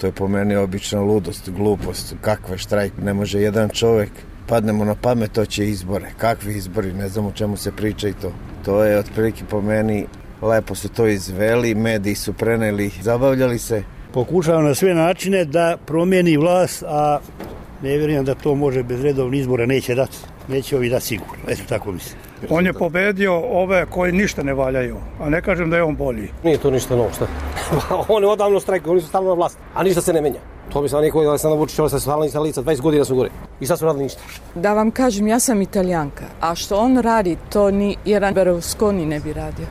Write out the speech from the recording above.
To je po meni obična ludost, glupost. Kakva štrajk, ne može jedan čovjek. Padnemo na pamet, to će izbore. Kakvi izbori, ne znam o čemu se priča i to. To je otprilike po meni, lepo su to izveli, mediji su preneli, zabavljali se. Pokušava na sve načine da promijeni vlast, a ne vjerujem da to može bez redovnih izbora, neće dati. Neće ovi dati sigurno, eto tako mislim. On je pobedio ove koji ništa ne valjaju, a ne kažem da je on bolji. Nije to ništa novo, šta? On je odavno štrajkao, oni su stalno na vlasti, a ništa se ne menja. To bi se niko da se navuči, ovo se stalno sa lica, 20 godina su gore. I sad su radili ništa. Da vam kažem, ja sam Italijanka, a što on radi, to ni jedan Berlusconi ne bi radio.